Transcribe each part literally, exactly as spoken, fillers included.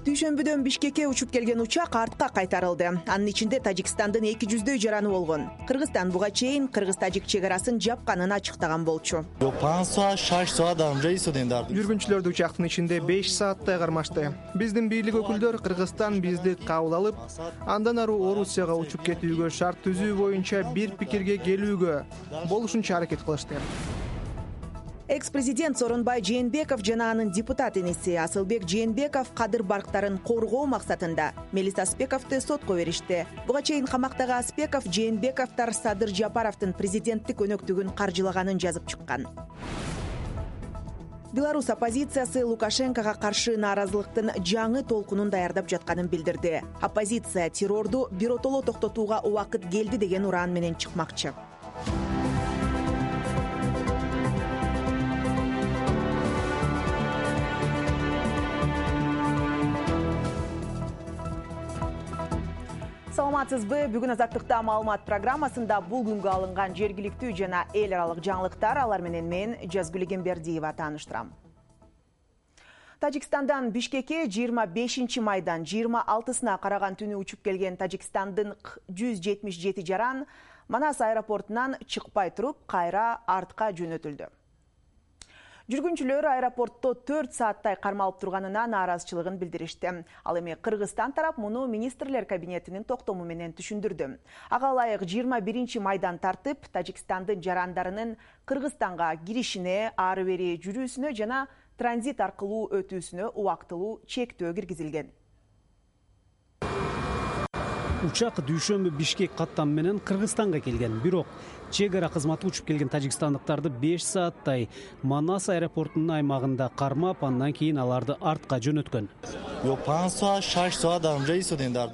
Дүйшөмбүдөн Бишкекке учуп келген учак артка кайтарылды. Анын ичинде Тажикстандын эки жүздөй жараны болгон. Кыргызстан буга чейин кыргыз-тажик чек арасын жапканын ачыктаган болчу. Жүргүнчүлөрдү учактын ичинде беш сааттай кармашты. Биздин бийлик өкүлдөр Кыргызстан бизди кабыл алып, андан ары Орусияга учуп кетүүгө шарт түзүү боюнча бир пикирге келүүгө болушунча аракет кылышты. Экс-президент Сооронбай Жээнбеков жана анын депутат иниси Асылбек Жээнбеков кадыр барктарын коргоо максатында Мелис Аспековду сотко беришти. Буга чейин камактагы Аспеков Жээнбековдор Садыр Жапаровдун президенттик өнөктүгүн каржылаганын жазып чыккан. Беларусь оппозициясы Лукашенкого каршы нааразылыктын жаңы толкунун даярдап жатканын билдирди. Оппозиция террорду биротоло токтотууга убакыт келди деген уран менен чыкмакчы. Саламатсызбы? Бүгүн Азаттыкта маалымат программасында бул күнгө алынган жергиликтүү жана эл аралык жаңылыктар, алар менен мен Жазгүл Эгембердиева тааныштырам. Тажикстандан Бишкекке жыйырма бешинчи майдан жыйырма алтысына караган түнү учуп келген Тажикстандын жүз жетимиш жети жаран Манас аэропортунан чыкпай туруп, кайра артка жөнөтүлдү. Жүргүнчүлөр аэропортто төрт сааттай кармалып турганына нааразычылыгын билдиришти. Ал эми Кыргызстан тарап муну министрлер кабинетинин токтому менен түшүндүрдү. Ага ылайык жыйырма биринчи майдан тартып, Тажикстандын жарандарынын Кыргызстанга киришине, ары бери жүрүүсүнө жана транзит аркылуу өтүүсүнө убактылуу чектөө киргизилген. Учак Дүйшөмбү Бишкек каттам менен Кыргызстанга келген. Бирок чек ара кызматы учуп келген тажикстандыктарды беш сааттай Манас аэропортунун аймагында кармап, андан кийин аларды артка жөнөткөн.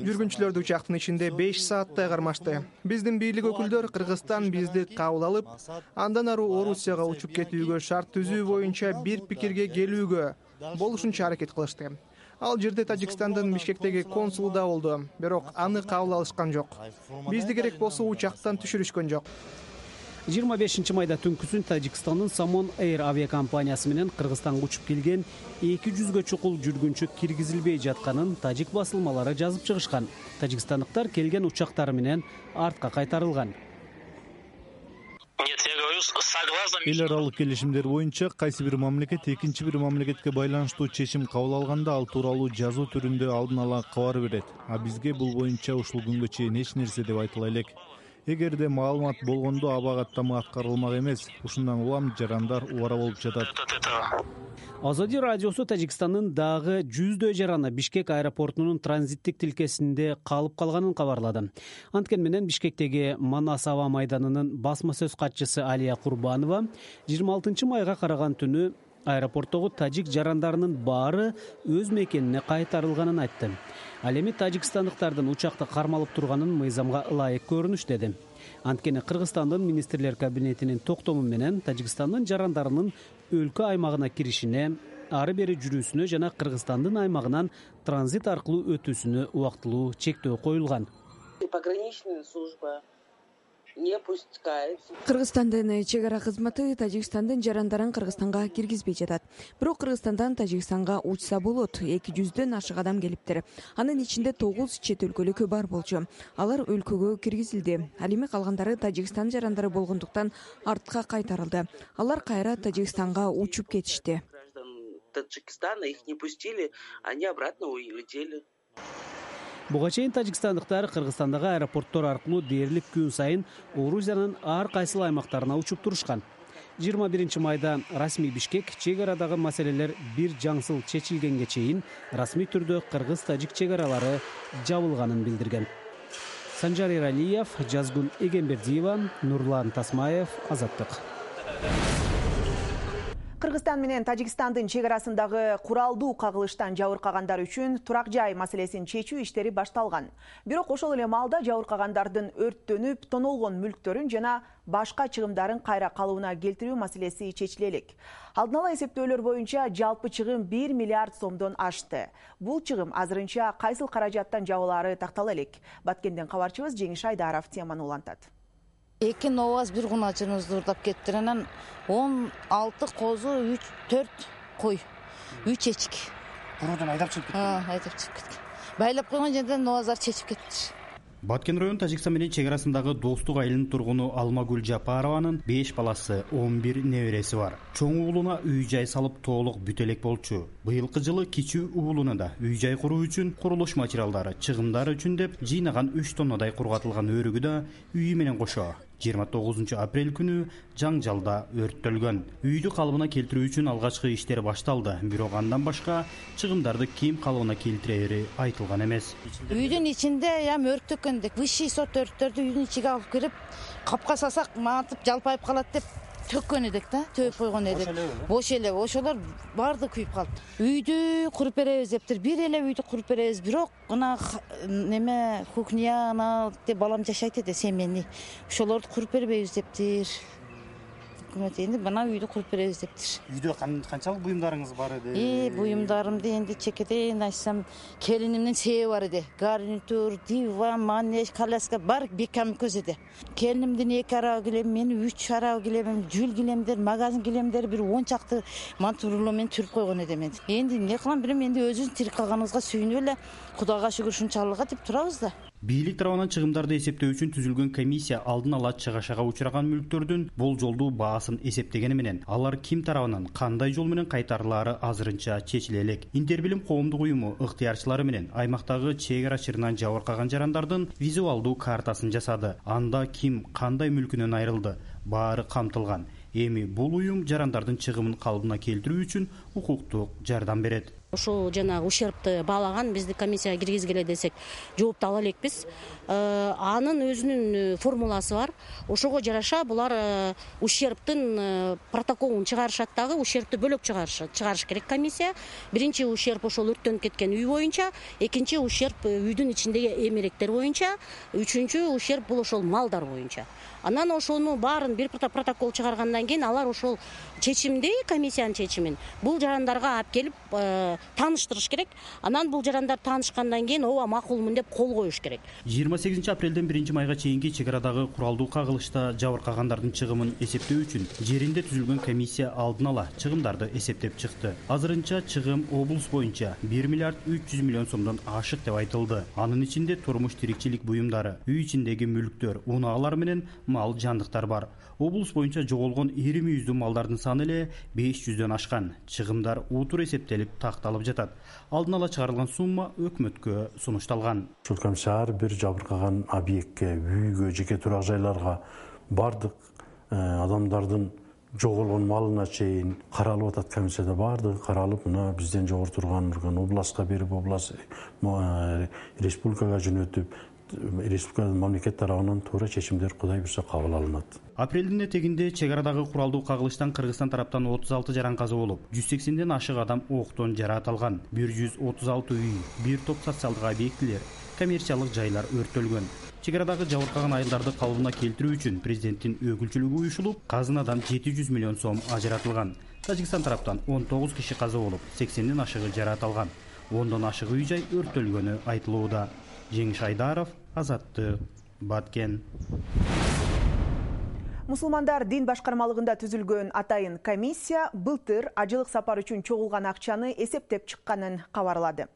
Жүргүнчүлөрдү учактын ичинде беш сааттай кармашты. Биздин бийлик өкүлдөр Кыргызстан бизди кабыл алып, андан ары Орусияга учуп кетүүгө шарт түзүү боюнча бир пикирге келүүгө болушунча аракет кылышты. Ал жерде Тажикстандын Бишкектеги консулу да болду, бирок аны кабыл алышкан жок. Бизди керек болсо учактан түшүрүшкөн жок. жыйырма бешинчи майда түнкүсүн Тажикстандын Самон Air авиакомпаниясы менен Кыргызстанга учуп келген эки жүзгө чукул жүргүнчү киргизилбей жатканын тажик басылмалары жазып чыгышкан. Тажикстандыктар келген учактары менен артка кайтарылган. Эл аралык келишимдер боюнча кайсы бир мамлекет экинчи бир мамлекетке байланыштуу чечим кабыл алганда ал тууралуу жазуу түрүндө алдын ала кабар берет. А бизге бул боюнча ушул күнгө чейин эч нерсе деп айтыла элек. Эгерде маалымат болгондо аба каттамы аткарылмак эмес. Ушундан улам жарандар убара болуп жатат. Азади радиосу Тажикстандын дагы жүздөй жараны Бишкек аэропортунун транзиттик тилкесинде калып калганын кабарлады. Анткени менен Бишкектеги Манас аба майданынын басма сөз катчысы Алия Курбанова жыйырма алтынчы майга караган түнү аэропорттогу тажик жарандарынын баары өз мекенине кайтарылганын айтты. Ал эми тажикстандыктардын учакта кармалып турганын мыйзамга ылайык көрүнүш деди. Анткени Кыргызстандын министрлер кабинетинин токтому менен Тажикстандын жарандарынын өлкө аймагына киришине, ары бери жүрүүсүнө жана Кыргызстандын аймагынан транзит аркылуу өтүүсүнө убактылуу чектөө коюлган. Пограничная служба не пускает. Кыргызстандын чек ара кызматы Тажикстандын жарандарын Кыргызстанга киргизбей жатат. Бирок Кыргызстандан Тажикстанга учса болот. эки жүздөн ашык адам келиптир. Анын ичинде тогуз чет өлкөлүк бар болчу. Алар өлкөгө киргизилди. Ал эми калгандары Тажикстан жарандары болгондуктан артка кайтарылды. Алар кайра Тажикстанга учуп кетишти. Таджикистана их не пустили, они обратно улетели. Буга чейин тажикстандыктар Кыргызстандагы аэропорттор аркылуу дээрлик күн сайын Орусиянын ар кайсыл аймактарына учуп турушкан. жыйырма биринчи майда расмий Бишкек чек арадагы маселелер бир жаңсыл чечилгенге чейин расмий түрдө кыргыз-тажик чек аралары жабылганын билдирген. Санжар Эралиев, Жазгүл Эгембердиева, Нурлан Тасмаев, Азаттык. Кыргызстан менен Тажикстандын чек арасындагы куралдуу кагылыштан жабыркагандар үчүн турак жай маселесин чечүү иштери башталган. Бирок ошол эле маалда жабыркагандардын өрттөнүп, тонолгон мүлктөрүн жана башка чыгымдарын кайра калыбына келтирүү маселеси чечиле элек. Алдын ала эсептөөлөр боюнча жалпы чыгым бир миллиард сомдон ашты. Бул чыгым азырынча кайсыл каражаттан жабылаары тактала элек. Баткенден кабарчыбыз Жеңиш Айдаров теманы улантат. Эки новаз бир куначыбызды уурдап кетти. Анан он алты козу, төрт кой, үч эчик. куруудан айдап чыгып кеткен. Айдап чыгып кеткен. Байлап койгон жерден Новазар чечип кетиптир. Баткен район Тажикстан менен чек арасындагы Достук айылынын тургуну Алмагүл Жапарованын беш баласы, он бир небереси бар. Чоң уулуна үй-жай салып толук бүт элек болчу. Быйылкы жылы кичүү уулуна да үй-жай куруу үчүн курулуш материалдары, чыгымдары үчүн деп жыйнаган үч тоннадай кургатылган өрүгү да үйү менен кошо жыйырма тогузунчу апрель күнү жаңжалда өрттөлгөн. Үйдү калыбына келтирүү үчүн алгачкы иштер башталды, бирок андан башка чыгымдарды ким калыбына келтирери айтылган эмес. Үйдүн ичинде ям өрттөккөн деп высший сорт өрттөрдү үйдүн ичиге алып кирип, капка салсак мантып жалпайып калат деп төккөн эдик да, төп койгон эдик. Бош эле, ошолор барды күйүп калды. Үйдү куруп беребиз дептир. Бир эле үйдү куруп беребиз, бирок мына неме кухня ана деп балам жашайт эди, семейный. Ошолорду куруп бербейбиз дептир. Өкмөт энди мына үйдү куруп беребиз дептир. Үйдө канчалык буюмдарыңыз бар эди? И буюмдарымды энди чекеден айтсам, келинимдин сээби бар эди. Гарнитур, диван, манеж, коляска бар бекем көз эди. Келинимдин эки арабы килем, менин үч арабы килемим, жүл килемдер, магазин килемдер бир он чакты мантурло менен түрүп койгон эдим энди. Энди эмне кылам билем, энди өзүбүз тирик калганыбызга сүйүнүп эле Кудайга шүгүр ушунчалыгы деп турабыз да. Бийлик тарабынан чыгымдарды эсептөө үчүн түзүлгөн комиссия алдын ала чыгашага учураган мүлктөрдүн болжолдуу баасын эсептегени менен алар ким тарабынан кандай жол менен кайтарылаары азырынча чечиле элек. Интербилим коомдук уюму ыктыярчылары менен аймактагы чек ара чырынан жабыркаган жарандардын визуалдуу картасын жасады. Анда ким кандай мүлкүнөн айрылды, баары камтылган. Эми бул уюм жарандардын чыгымын калыбына келтирүү үчүн укуктук жардам берет. Ошол жанагы ущербти баалаган бизди комиссияга киргизгиле десек жоопту ала элекпиз. Анын өзүнүн формуласы бар. Ошого жараша булар ущербтин протоколун чыгарышат дагы, ущербти бөлөк чыгарыш керек комиссия. Биринчи ущерб ошол өрттөнүп кеткен үй боюнча, экинчи ущерб үйдүн ичиндеги эмеректер боюнча, үчүнчү ущерб бул ошол малдар боюнча. Анан ошону баарын бир протокол чыгаргандан кийин алар ошол чечимди, комиссиянын чечимин бул жарандарга алып келип тааныштырыш керек. Анан бул жарандар таанышкандан кийин ооба макулмун деп кол коюш керек. жыйырма сегизинчи апрелден биринчи майга чейинки чек арадагы куралдуу кагылышта жабыркагандардын чыгымын эсептөө үчүн жеринде түзүлгөн комиссия алдын ала чыгымдарды эсептеп чыкты. Азырынча чыгым облус боюнча бир миллиард үч жүз миллион сомдон ашык деп айтылды. Анын ичинде турмуш тирикчилик буюмдары, үй ичиндеги мүлктөр, унаагалар менен мал жандыктар бар. Облус боюнча жоголгон ири мүйүздүү малдардын саны эле беш жүздөн ашкан. Чыгымдар утур эсептелип такталып жатат. Алдын ала чыгарылган сумма өкмөткө сунушталган. Ушул комиссия бир жабыркаган объектке, үйгө, жеке турак жайларга бардык адамдардын жоголгон малына чейин каралып атат. Комиссияда бардыгы каралып, мына бизден жогору турган областка берип, област республикага жөнөтүп, республика мамлекет тарабынан туура чечимдер Кудай буйрса кабыл алынат. Апрелдин этегинде чек арадагы куралдуу кагылыштан Кыргызстан тараптан отуз алты жаран каза болуп, жүз сексенден ашык адам октон жараат алган. бир жүз отуз алты үй, бир топ социалдык объектилер, коммерциялык жайлар өрттөлгөн. Чек арадагы жабыркаган айылдарды калыбына келтирүү үчүн президенттин өкүлчүлүгү уюшулуп, казынадан жети жүз миллион сом ажыратылган. Тажикстан тараптан он тогуз киши каза болуп, сексенден ашыгы жараат алган. ондон ашык үй жай өрттөлгөнү айтылууда. Жеңиш Айдаров, Азаттык, Баткен. Мусулмандар дин башкармалыгында түзүлгөн атайын комиссия былтыр ажылык сапар үчүн чогулган акчаны эсептеп чыкканын кабарлады.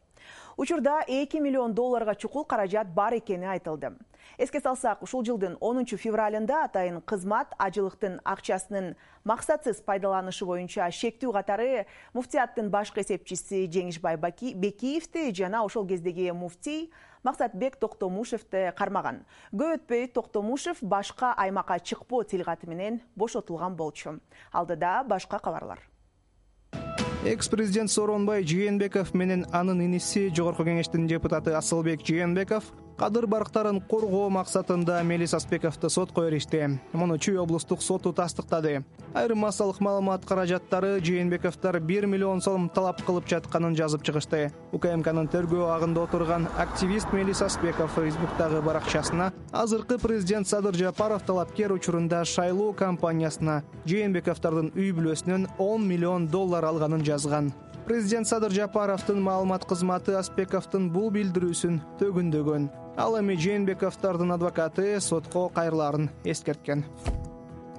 Учурда эки миллион долларга чукул каражат бар экени айтылды. Эске салсак, ушул жылдын онунчу февралында атайын кызмат ажылыктын акчасынын максатсыз пайдаланышы боюнча шектүү катары муфтияттын башкы эсепчиси Жеңишбай Бекиевди жана ошол кездеги муфтий Максатбек Токтомушевди кармаган. Көп өтпөй Токтомушев башка аймакка чыкпоо тилгаты менен бошотулган болчу. Алдыда башка кабарлар. Экс-президент Сооронбай Жээнбеков менен анын иниси Жогорку кеңештин депутаты Асылбек Жээнбеков кадыр барктарын коргоо максатында Мелис Аспековду сотко беришти. Муну Чүй облустук соту тастыктады. Айрым массалык маалымат каражаттары Жээнбековдор бир миллион сом талап кылып жатканын жазып чыгышты. УКМКнын тергөө агында отурган активист Мелис Аспеков Фейсбуктагы баракчасына азыркы президент Садыр Жапаров талапкер учурунда шайлоо кампаниясына Жээнбековдордун үй бүлөсүнөн он миллион доллар алганын жазган. Президент Садыр Жапаровдун маалымат кызматы Аспековдун бул билдирүүсүн төгүндөгөн. Ал эми Жээнбековдордун адвокаты сотко кайрылаарын эскерткен.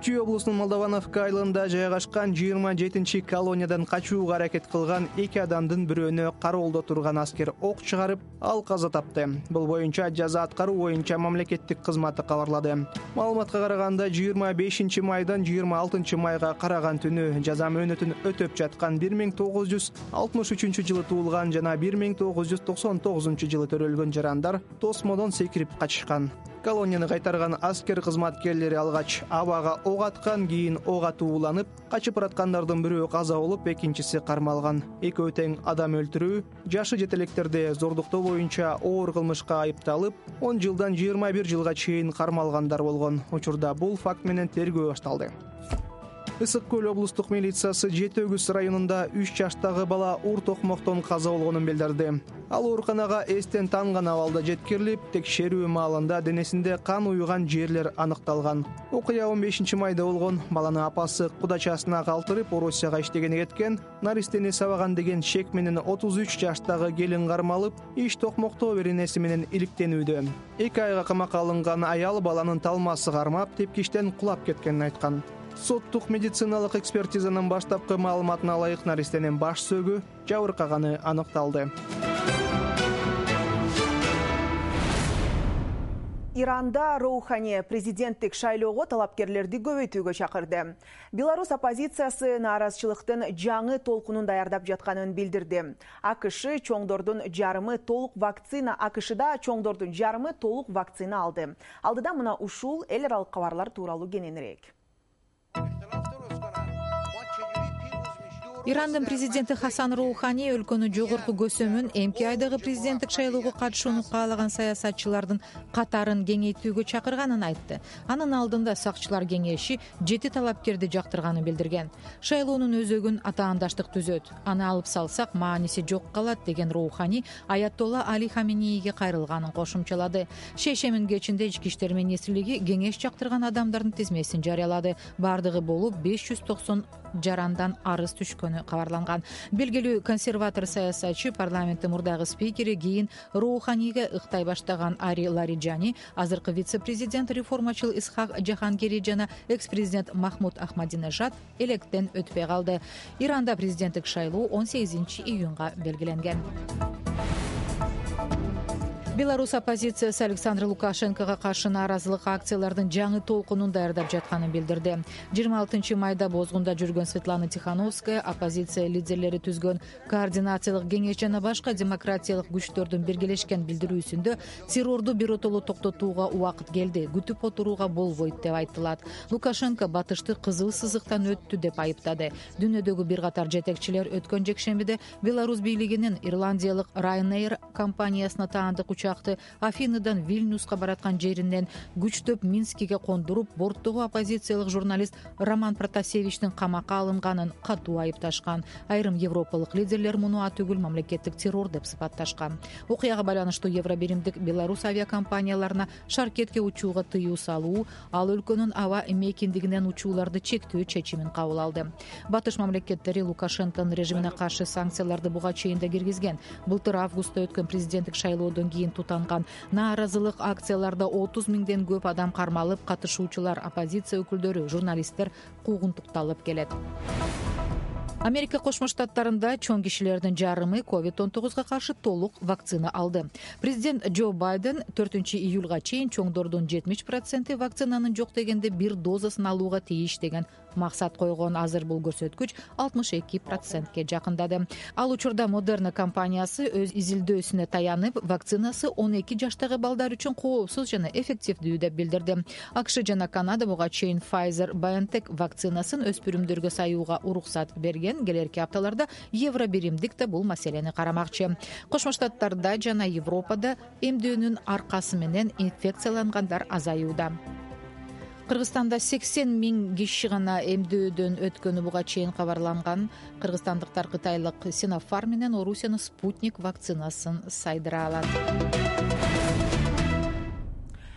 Чүй облусунун Молдовановка айылында жайгашкан жыйырма жетинчи колониядан качууга аракет кылган эки адамдын бирөөнө кароолдо турган аскер ок чыгарып, ал каза тапты. Бул боюнча жаза аткаруу боюнча мамлекеттик кызматы кабарлады. Маалыматка караганда жыйырма бешинчи майдан жыйырма алтынчы майга караган түнү жаза мөөнөтүн өтөп жаткан бир миң тогуз жүз алтымыш үчүнчү жылы туулган жана бир миң тогуз жүз токсон тогузунчу жылы төрөлгөн жарандар тосмодон секирип качышкан. Колонияны кайтарган аскер кызматкерлери алгач абага ок аткан, кийин ок атуу уланып, качып бараткандардын бирөө каза болуп, экинчиси кармалган. Экөө тең адам өлтүрүү, жашы жетелектерди зордуктоо боюнча оор кылмышка айыпталып, он жылдан жыйырма бир жылга чейин кармалгандар болгон. Учурда бул факт менен тергөө башталды. Ысык көл облустук милициясы Жети Өгүз районунда үч жаштагы бала уур токмоктон каза болгонун билдирди. Ал ооруканага эстен танган абалда жеткирилип, текшерүү маалында денесинде кан уюган жерлер аныкталган. Окуя он бешинчи майда болгон. Баланы апасы кудачасына калтырып, Орусияга иштегени кеткен. Наристени сабаган деген шек менен отуз үч жаштагы келин кармалып, иш токмоктоо беренеси менен иликтенүүдө. эки айга камакка алынган аял баланын талмасы кармап, тепкичтен кулап кеткенин айткан. Соттук медициналык экспертизанын баштапкы маалыматына ылайык наристенин баш сөөгү жабыркаганы аныкталды. Иранда Роухани президенттик шайлоого талапкерлерди көбөйтүүгө чакырды. Беларусь оппозициясы нааразычылыктын жаңы толкунун даярдап жатканын билдирди. АКШ чоңдордун жарымы толук вакцина АКШда чоңдордун жарымы толук вакцина алды. Алдыда мына ушул эл аралык кабарлар тууралуу кененирээк. Ирандын президенти Хасан Роухани өлкөнүн жогорку көсөмүн эмки айдагы президенттик шайлоого катышууну каалаган саясатчылардын катарын кеңейтүүгө чакырганын айтты. Анын алдында сакчылар кеңеши жети талапкерди жактырганын билдирген. Шайлоонун өзөгүн атаандаштык түзөт. Аны алып салсак мааниси жок калат деген Роухани Аятолла Али Хаменейге кайрылганын кошумчалады. Шейшемин кечинде ички иштер министрлиги кеңеш жактырган адамдардын тизмесин жарыялады. Бардыгы болуп беш жүз токсон жарандан арыз түшкөнү кабарланган. Белгилүү консерватор саясатчы парламенттин мурдагы спикери кийин Роуханиге ыктай баштаган Ари Лариджани, азыркы вице-президент реформачыл Исхак Жахангери жана экс-президент Махмуд Ахмадинежад электен өтпөй калды. Иранда президенттик шайлоо он сегизинчи июнга белгиленген. Беларусь оппозициясы Александр Лукашенкого каршы нааразылык акциялардын жаңы толкунун даярдап жатканын билдирди. жыйырма алтынчы майда бозгунда жүргөн Светлана Тихановская оппозиция лидерлери түзгөн координациялык кеңеш жана башка демократиялык күчтөрдүн биргелешкен билдирүүсүндө террорду биротоло токтотууга убакыт келди, күтүп отурууга болбойт деп айтылат. Лукашенко батышты кызыл сызыктан өттү деп айыптады. Дүйнөдөгү бир катар жетекчилер өткөн жекшембиде Беларусь бийлигинин Ирландиялык Ryanair компаниясына таандык учакты Афиныдан Вильнюска бараткан жеринен күчтөп Минскиге кондуруп, борттогу оппозициялык журналист Роман Протасевичтин камакка алынганын катуу айыпташкан. Айрым европалык лидерлер муну атүгүл мамлекеттик террор деп сыпатташкан. Окуяга байланыштуу Евробиримдик Беларусь авиакомпанияларына шаркетке учууга тыюу салуу, ал өлкөнүн аба мейкиндигинен учууларды чектөө чечимин кабыл алды. Батыш мамлекеттери Лукашенконун режимине каршы санкцияларды буга чейин да киргизген. Былтыр августта өткөн президенттик шайлоодон кийин тутанган нааразылык акцияларда отуз миңден көп адам кармалып, катышуучулар, оппозиция өкүлдөрү, журналисттер куугунтукталып келет. Америка Кошмо Штаттарында чоң кишилердин жарымы ковид он тогузга каршы толук вакцина алды. Президент Джо Байден төртүнчү июлга чейин чоңдордун жетимиш проценти вакцинанын жок дегенде бир дозасын алууга тийиш деген максат койгон. Азыр бул көрсөткүч алтымыш эки процентке жакындады. Ал учурда Модерна компаниясы өз изилдөөсүнө таянып, вакцинасы он эки жаштагы балдар үчүн коопсуз жана эффективдүү деп билдирди. АКШ жана Канада буга чейин Pfizer-BioNTech вакцинасын өспүрүмдөргө саюуга уруксат берген. Келерки апталарда Евробиримдик да бул маселени карамакчы. Кошмо Штаттарда жана Европада эмдөөнүн аркасы менен инфекциялангандар азаюуда. Кыргызстанда сексен миң киши гана эмдөөдөн өткөнү буга чейин кабарланган. Кыргызстандыктар кытайлык Sinopharm менен Орусиянын Спутник вакцинасын сайдыра алат.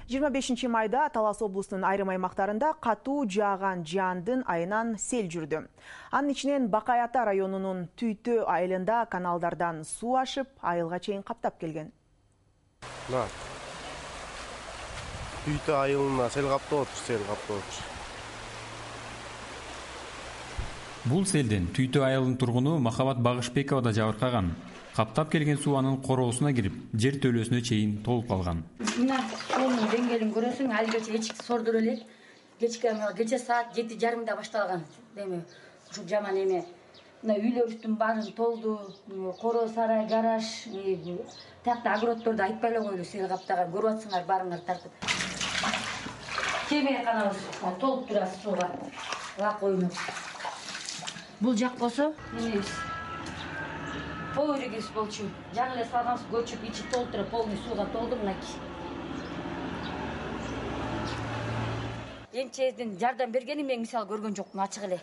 жыйырма бешинчи майда Талас облусунун айрым аймактарында катуу жааган жаандын айынан сел жүрдү. Анын ичинен Бакай-Ата районунун Түйтө айылында каналдардан суу ашып, айылга чейин каптап келген. Түйтө айылына сел каптап отур, сел каптап отур. Бул селден Түйтө айылынын тургуну Махабат Багышбекова да жабыркаган. Каптап келген суу анын короосуна кирип, жер төлөөсүнө чейин толуп калган. Мына суунун деңгээлин көрөсүң, али кече эчик сордур элек. Кечке кече саат жети жарымда башталган. Деме, ушу жаман эме. Мына үйлөрүбүздүн баарын толду, короо сарай, гараж, тиякта огороддорду айтпай эле койлу, сел каптаган. Көрүп атсыңар баарыңар тартып. Кемер канабыз толуп турат сууга. Лак ойноп. Бул жак болсо, эмебиз. Повырегиз болчу. Жаңы эле салганбыз, көчүп, ичи толуп туруп, полный сууга толду мынакей. Энчеден жардам бергени мен мисал көргөн жокмун, ачык эле.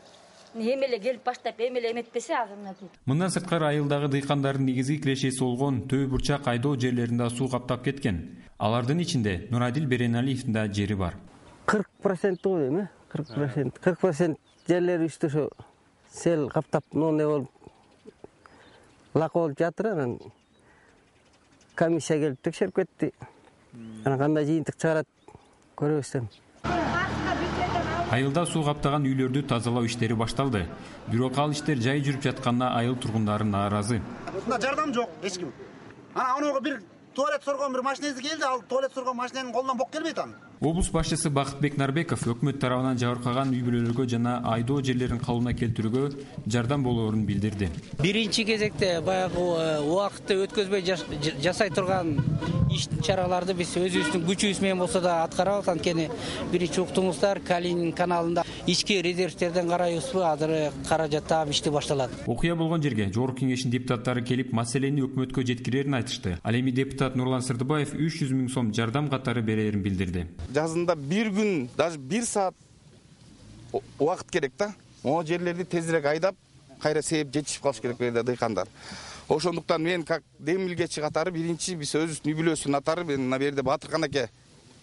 Эми эле келип баштап, эми эле эметпесе азыр мына бул. Мындан сырткары айылдагы дыйкандардын негизги кирешеси болгон төө бурчак айдоо жерлеринде суу каптап кеткен. Алардын ичинде Нурадил Береналиевдин да жери бар. кырк процент го эми, кырк процент. кырк процент жерлери үстү ошо сел каптап, ну не болуп лак болуп жатыр. Анан комиссия келип текшерип кетти. Анан кандай жыйынтык чыгарат көрөбүз. Айылда суу каптаган үйлөрдү тазалоо иштери башталды. Бирок ал иштер жай жүрүп жатканына айыл тургундары нааразы. Мында жардам жок эч ким. Ана анога бир туалет соргон бир машинеси келди, ал туалет соргон машиненин колунан бок келбейт аны. Облус башчысы Бакытбек Нарбеков өкмөт тарабынан жабыркаган үй бүлөлөргө жана айдоо жерлерин калыбына келтирүүгө жардам болоорун билдирди. Биринчи кезекте баягы убакытты өткөзбөй жасай турган иш чараларды биз өзүбүздүн күчүбүз менен болсо да аткарабыз. Анткени биринчи уктуңуздар, Калинин каналында ички резервтерден карайбызбы, азыр каражат таап ишти башталат. Окуя болгон жерге жогорку кеңештин депутаттары келип, маселени өкмөткө жеткирерин айтышты. Ал эми депутат Нурлан Сырдыбаев үч жүз миң сом жардам катары берерин билдирди. Жазында бир күн, даже бир саат убакыт керек да. О жерлерди тезирээк айдап, кайра сээп жетишип калыш керек берди дыйкандар. Ошондуктан мен как демилгечи катары биринчи биз өзүбүздүн үй бүлөсүнүн атары мен мына жерде Батыркан аке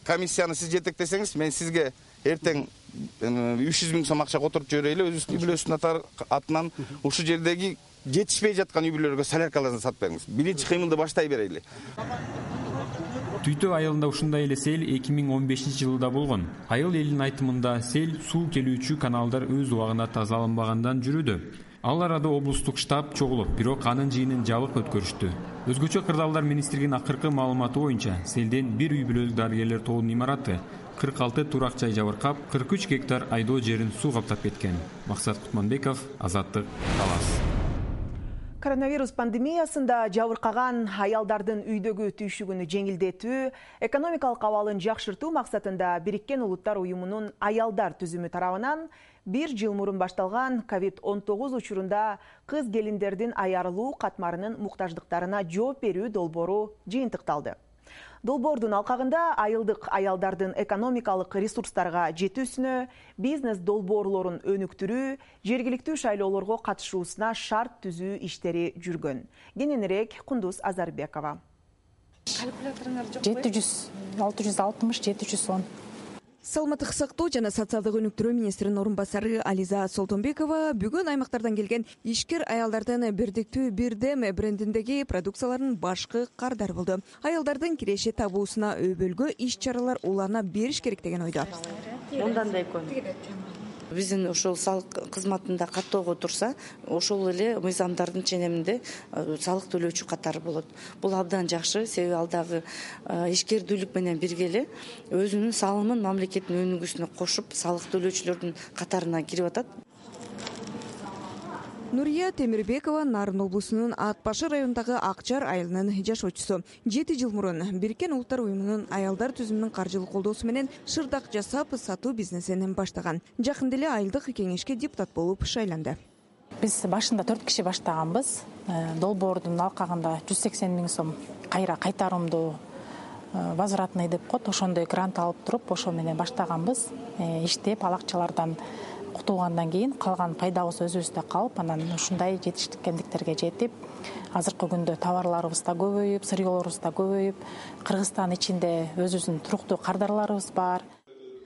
комиссияны сиз жетектесеңиз, мен сизге эртең үч жүз миң сом акча которуп жиберели, өзүбүздүн үй бүлөсүнүн атынан ушул жердеги жетишпей жаткан үй бүлөлөргө соляркаларын сатып бериңиз. Биринчи кыймылды баштай берели. Түйтө айылында ушундай эле сел эки миң он бешинчи жылда болгон. Айыл элинин айтымында сел суу келүүчү каналдар өз убагында тазаланбагандан жүрүүдө. Ал арада облустук штаб чогулуп, бирок анын жыйынын жабык өткөрүштү. Өзгөчө Кырдаалдар министрлигинин акыркы маалыматы боюнча, селден бир үй бүлөлүк дарыгерлер тобунун имараты, кырк алты турак жай жабыркап, кырк үч гектар айдоо жерин суу каптап кеткен. Максат Кутманбеков, Азаттык, Талас. Коронавирус пандемиясында жабыркаган аялдардын үйдөгү түйшүгүнү жеңилдетүү, экономикалык абалын жакшыртуу максатында Бириккен Улуттар уюмунун аялдар түзүмү тарабынан бир жыл мурун башталган ковид он тогуз учурунда кыз келиндердин аярылуу катмарынын муктаждыктарына жооп берүү долбоору жыйынтыкталды. Долбоордун алкагында айылдык аялдардын экономикалык ресурстарга жетүүсүнө, бизнес долбоорлорун өнүктүрүү, жергиликтүү шайлоолорго катышуусуна шарт түзүү иштери жүргөн. Кененирээк Кундуз Азарбекова. жети жүз алты жүз алтымыш жети жүз он. Саламаттык сактоо жана социалдык өнүктүрүү министринин орун басары Ализа Солтонбекова бүгүн аймактардан келген ишкер аялдардын бирдиктүү бирдем брендиндеги продукцияларын башкы кардар болду. Аялдардын киреше табуусуна өбөлгө иш чаралар улана бериш керек деген ойдо. Мындан да экөн. Биздин ошол салык кызматында каттоого турса, ошол эле мыйзамдардын ченеминде салык төлөөчү катары болот. Бул абдан жакшы, себеби ал дагы ишкердүүлүк менен бирге эле өзүнүн салымын мамлекеттин өнүгүүсүнө кошуп, салык төлөөчүлөрдүн катарына кирип атат. Нурия Темирбекова Нарын облусунун Ат Башы районундагы Акчар айылынын жашоочусу. жети жыл мурун Бириккен Улуттар уюмунун аялдар түзүмүнүн каржылык колдоосу менен шырдак жасап сатуу бизнесин баштаган. Жакында эле айылдык кеңешке депутат болуп шайланды. Биз башында төрт киши баштаганбыз. Долбоордун алкагында жүз сексен миң сом кайра кайтарымдуу возвратный деп коет, ошондой грант алып туруп, ошо менен баштаганбыз. Иштеп, ал акчалардан кутулгандан кийин калган пайдабыз өзүбүздө калып, анан ушундай жетишкендиктерге жетип, азыркы күндө товарларыбыз да көбөйүп, сырьёолорубуз да көбөйүп, Кыргызстан ичинде өзүбүздүн туруктуу кардарларыбыз бар.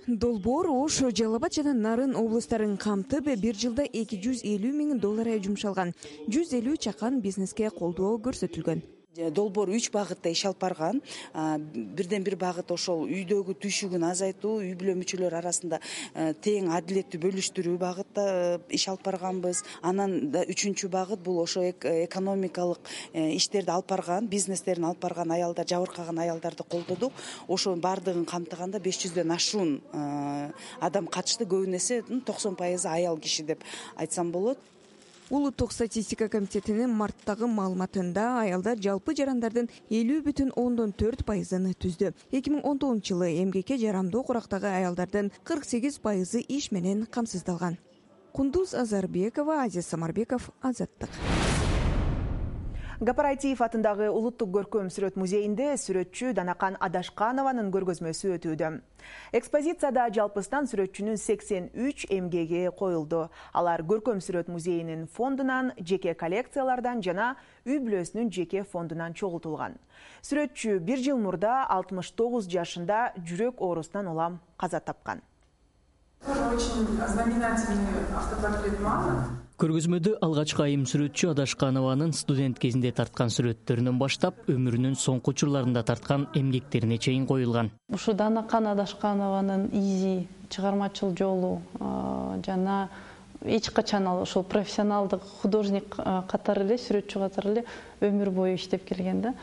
Долбоор Ош, Жалал Абад жана Нарын облустарын камтып, бир жылда эки жүз элүү миң доллар жумшалган. жүз элүү чакан бизнеске колдоо көрсөтүлгөн. Долбоор үч багытта иш алып барган. Бирден бир багыт ошол үйдөгү түйшүгүн азайтуу, үй бүлө мүчөлөр арасында тең адилеттүү бөлүштүрүү багытта иш алып барганбыз. Анан да үчүнчү багыт бул ошо экономикалык иштерди алып барган, бизнестерин алып барган аялдар, жабыркаган аялдарды колдодук. Ошо баардыгын камтыганда беш жүздөн ашуун адам катышты, көбүн эсе токсон пайызы аял киши деп айтсам болот. Улуттук статистика комитетинин марттагы маалыматында аялдар жалпы жарандардын элүү бүтүн ондон төрт пайызын түздү. эки миң он тогузунчу жылы эмгекке жарамдуу курактагы аялдардын кырк сегиз пайызы иш менен камсыздалган. Кундуз Азарбекова, Азиз Самарбеков, Азаттык. Гапаратиев атындагы улуттук көркөм сүрөт музейинде сүрөтчү Данакан Адашканованын көргөзмөсү өтүүдө. Экспозицияда жалпыстан сүрөтчүнүн сексен үч эмгеги коюлду. Алар көркөм сүрөт музейинин фондунан, жеке коллекциялардан жана үй бүлөсүнүн жеке фондунан чогултулган. Сүрөтчү бир жыл мурда алтымыш тогуз жашында жүрөк оорусунан улам каза тапкан. Көргөзмөдө алгачкы айым сүрөтчү Адашканованын студент кезинде тарткан сүрөттөрүнөн баштап өмүрүнүн соңку учурларында тарткан эмгектерине чейин коюлган. Ушу Данакан Адашканованын изи чыгармачыл жолу жана эч качан ал ошол профессионалдык художник катары эле, сүрөтчү катары эле өмүр бою иштеп келген да.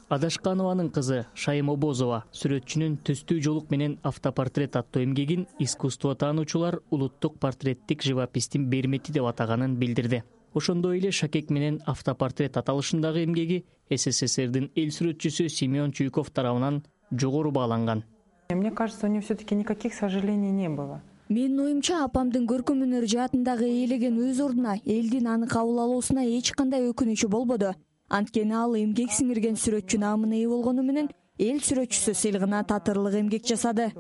Адашканованын кызы Шайым Обозова сүрөтчүнүн Түстүү жолук менен автопортрет аттуу эмгегин искусство таануучулар улуттук портреттик живопистин бермети деп атаганын билдирди. Ошондой эле Шакек менен автопортрет аталышындагы эмгеги СССРдин эл сүрөтчүсү Семен Чуйков тарабынан жогору бааланган. Мне кажется, у нее все-таки никаких сожалений не было. Менин оюмча, апамдын көркөм өнөр жаатындагы ээлеген өз ордуна, элдин аны кабыл алуусуна эч кандай өкүнүчү болбоду. Анткени ал эмгек сиңирген сүрөтчү наамына ээ болгону менен эл сүрөтчүсү сыйлыгына татырлык эмгек жасады.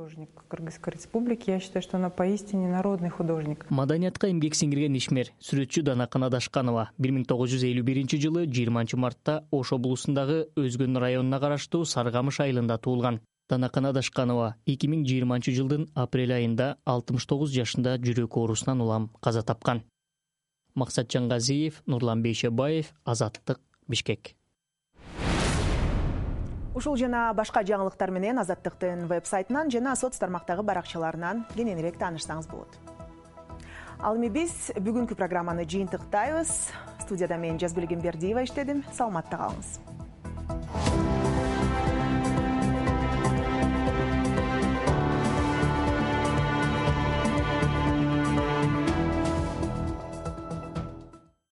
Кыргызской республики, я считаю, что она поистине народный художник. Маданиятка эмгек сиңирген ишмер сүрөтчү Данакан Адашканова бир миң тогуз жүз элүү биринчи жылы жыйырманчы мартта Ош облусундагы Өзгөн районуна караштуу Саргамыш айылында туулган. Данакан Адашканова эки миң жыйырманчы жылдын апрель айында алтымыш тогуз жашында жүрөк оорусунан улам каза тапкан. Максатжан Газиев, Нурлан Бейшебаев, Азаттык, Бишкек. Ушул жана башка жаңылыктар менен Азаттыктын веб-сайтынан жана соц тармактагы баракчаларынан кененирээк таанышсаңыз болот. Ал эми биз бүгүнкү программаны жыйынтыктайбыз. Студияда мен Жазгүл Гембердиева иштедим. Саламатта калыңыз.